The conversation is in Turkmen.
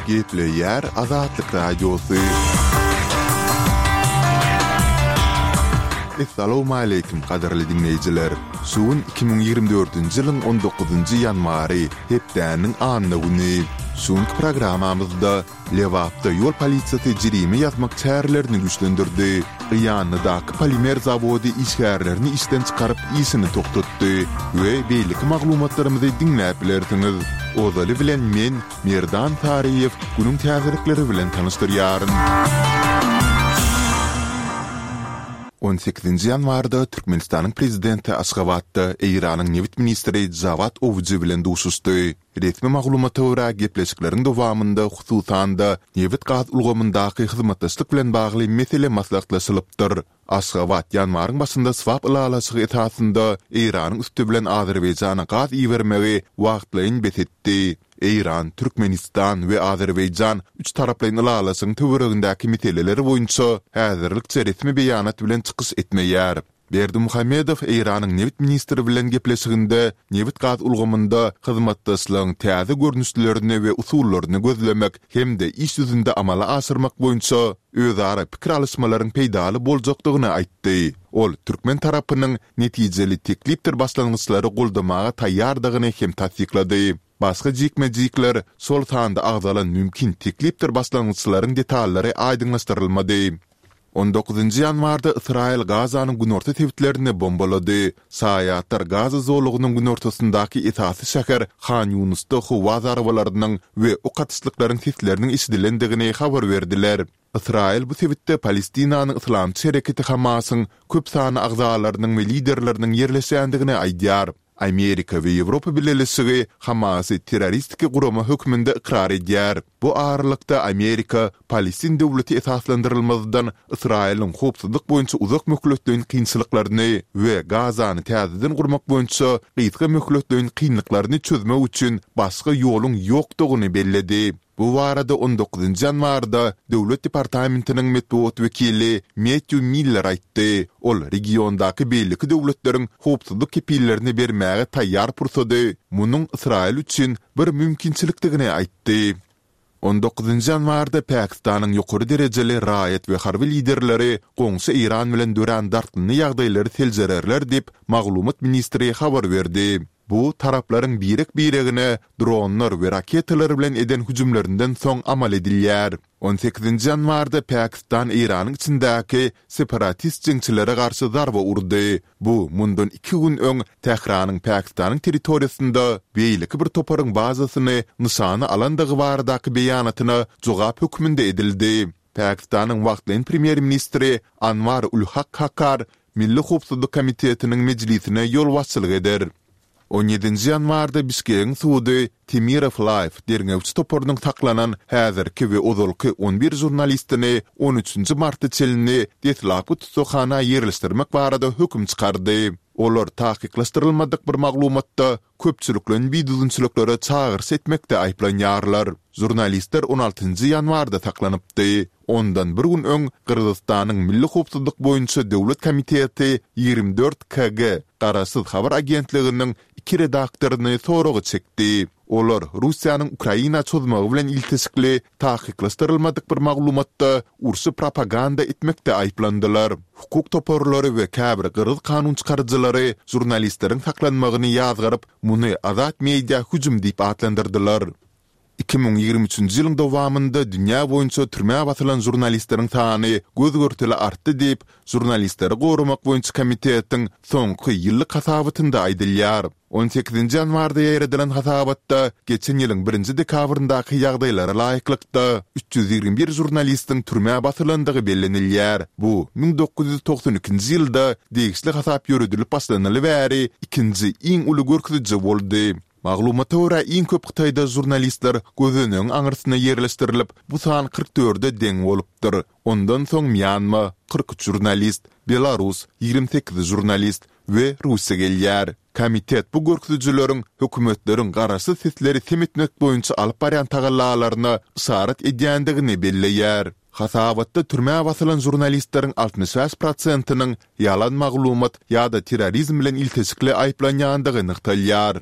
Gepleýär Azatlyk Radiosy. Essalawmaleýkim gadyrly diňleýjiler! Şu gün 2024-nji ýylyň on dokuzynjy ýanwary, hepdäniň anna güni. Şu günki programmamyzda Lebapda ýol polisiýasy jerime ýazmak çärelerini güýçlendirdi. Gyýanlydaky polimer zawody işgärlerini işden çykaryp işini togtatdy we beýleki maglumatlarymyzy diňläp bilersiňiz. Ozaly bilen men, Merdan Saryýew günüň täzelikleri bilen tanyşdyrýaryn. On sekizinji ýanwarda Türkmenistanyň Prezidenti Aşgabatda Eýranyň nebit ministri Jawad Owji bilen duşuşdy. Resmi maglumata görä, gepleşikleriň dowamynda, hususan-da, nebit-gaz ulgamyndaky hyzmatdaşlyk bilen bagly mesele maslahatlaşylypdyr. Aşgabat ýanwaryň başynda swap ylalaşygy esasynda Eýranyň üsti bilen Azerbaýjana gaz ibermegi wagtlaýyn bes etdi. Eýran, Türkmenistan we Azerbaýjan üç taraplaýyn ylalaşygyň töweregindäki meseleler boýunça häzirlikçe resmi beýanat bilen çykyş etmeýär. Berdimuhamedow Eýranyň nebit ministri bilen gepleşiginde nebit-gaz ulgamynda hyzmatdaşlygyň täze görnüşlerini we usullaryny gözlemek hem-de iş ýüzünde amala aşyrmak boýunça özara pikir alyşmalaryň peýdaly boljakdygyny aýtdy. Ol türkmen tarapynyň netijeli teklipdir başlangyçlary goldamaga taýýardygyny hem tassyklady. Başga jikme-jikler, şol sanda agzalan mümkin teklipdir başlangyçlaryň detallary aýdyňlaşdyrylmady. On dokuzynjy ýanwarda Ysraýyl Gazanyň günorta sebitlerini bombalady. Şaýatlar Gaza zolagynyň günortasyndaky esasy şäher Han Ýunusda howa zarbalarynyň we ok atyşlyklaryň sesleriniň eşidilendigini habar berdiler. Ysraýyl bu sebitde Palestinanyň yslamçy hereketi Hamasyň köp sanly agzalarynyň we liderleriniň ýerleşýändigini aýdýar. Amerika we Ýewropa Bileleşigi Hamasy terroristiki gurama hökmünde ykrar edýär. Bu aralykda Amerika Palestin döwleti esaslandyrylmazdan Ysraýylyň howpsuzlyk boýunça uzak möhletleýin kynçylyklaryny we Gazany täzeden gurmak boýunça gysga möhletleýin kynlyklaryny çözmek üçin başga ýoluň ýokdugyny belledi. Bu barada on dokuzynjy ýanwarda Döwlet departamentiniň metbugat wekili Mettýu Miller aýtdy. Ol regiondaky beýleki döwletleriň howpsuzlyk kepillerini bermäge taýýar pursady munuň Ysraýyl üçin bir mümkinçilikdigini aýtdy. On dokuzynjy ýanwarda Pakistanyň ýokary derejeli raýat we harby liderleri goňşy Eýran bilen dörän dartgynly ýagdaýlary seljererler diýip, maglumat ministri habar berdi. Bu, taraplaryň birek-biregine dronlar we raketalar bilen eden hüjümlerinden soň amal edilýär. On sekizinji ýanwarda Pakistan Eýranyň içindäki separatist jeňçilere garşy zarba urdy. Bu, mundan iki gün öň Tähranyň Pakistanyň territoriýasynda beýleki bir toparyň bazasyny nyşana alandygy baradaky beýanatyna jogap hökmünde edildi. Pakistanyň wagtlaýyn premýer-ministri Anwar ul-Hak Kakar Milli howpsuzlyk komitetiniň mejlisine ýolbaşçylyk eder. On ýedinji ýanwarda Bişkegiň sudy Temirow Live derňewçi toparynyň saklanan häzirki we ozalky on bir žurnalistini on üçünji marta çenli deslapky tussaghana ýerleşdirmek barada höküm çykardy. Olar takyklaşdyrylmadyk bir maglumatda köpçülikleýin bidüzgünçiliklere çagyryş etmekde aýyplanýarlar. Žurnalistler on altynjy ýanwarda saklanypdy. Ondan bir gün öň Gyrgyzystanyň Milli howpsuzlyk boýunça döwlet komiteti 24 KG garaşsyz habar agentliginiň iki redaktoryny soraga çekdi. Olar Russiýanyň Ukraina çozmagy bilen ilteşikli takyklaşdyrylmadyk bir maglumatda urşy propaganda etmekde aýyplandylar. Hukuk toparlary we käbir gyrgyz kanunçykaryjylary žurnalistleriň saklanmagyny ýazgaryp, muny azat media hüjüm diýip atlandyrdylar. 2023-nji ýylyň dowamynda dünýä boýunça türmä basylan žurnalistleriň sany göz-görtele artdy diýip, Žurnalistleri goramak boýunça komitetiň soňky ýyllyk hasabatynda aýdylýar. On sekizinji ýanwarda ýaýradylan hasabatda geçen ýylyň birinji dekabryndaky ýagdaýlara laýyklykda, 321 žurnalistiň türmä basylandygy bellenilýär. Bu, 1992-nji ýylda degişli hasap ýöredilip başlanaly bäri ikinji iň uly görkeziji boldy. Maglumata görä, iň köp Hytaýda žurnalistler gözenegiň aňyrsyna ýerleşdirilip, bu san 44-e deň bolupdyr. Ondan soň Mýanma, 43 žurnalist, Belarus, 28 žurnalist, we Russiýa gelýär. Komitet bu görkezijileriň hökümetleriň garaşsyz sesleri sem etmek boýunça alyp barýan tagallalaryna yşarat edýändigini belleýär. Hasabatda türmä basylan žurnalistleriň 65 prosentiniň ýalan maglumat ýa-da terrorizm bilen ilteşikli aýyplanýandygy nygtalýar.